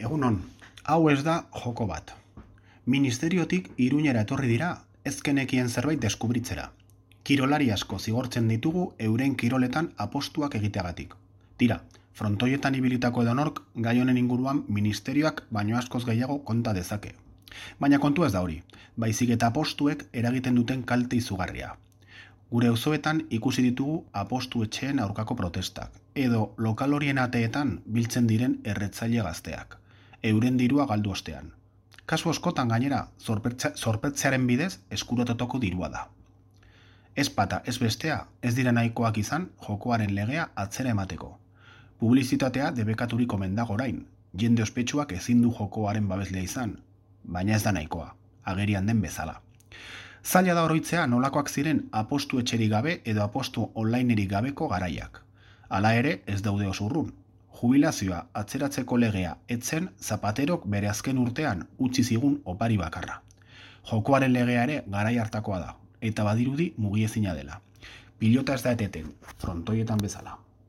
Egunon, hau ez da joko bat. Ministeriotik Iruñera etorri dira, ezkenekien zerbait deskubritzera. Kirolari asko zigortzen ditugu euren kiroletan apostuak egiteagatik. Tira, frontoietan ibilitako edonork gai honen inguruan ministerioak baino askoz gehiago konta dezake. Baina kontu ez da hori, baizik eta apostuek eragiten duten kalte izugarria. Gure auzoetan ikusi ditugu apostu etxeen aurkako protestak, edo lokal horien ateetan biltzen diren erretzaile gazteak, euren dirua galdu ostean. Kasu askotan gainera, zorpetzearen bidez eskurototoko dirua da. Ez bata, ez bestea, ez dira nahikoak izan jokoaren legea atzera emateko. Publizitatea debekaturik omen dago orain, jende ospetsuak ezin du jokoaren babeslea izan, baina ez da nahikoa, agerian den bezala. Zaila da oroitzea nolakoak ziren apostu etxerik gabe edo apostu onlinerik gabeko garaiak. Hala ere ez daude oso urrun. Jubilazioa atzeratzeko legea etzen Zapaterok bere azken urtean utzi zigun opari bakarra. Jokoaren legea ere garai hartakoa da, eta badirudi mugiezina dela. Pilota ez da eteten, frontoietan bezala.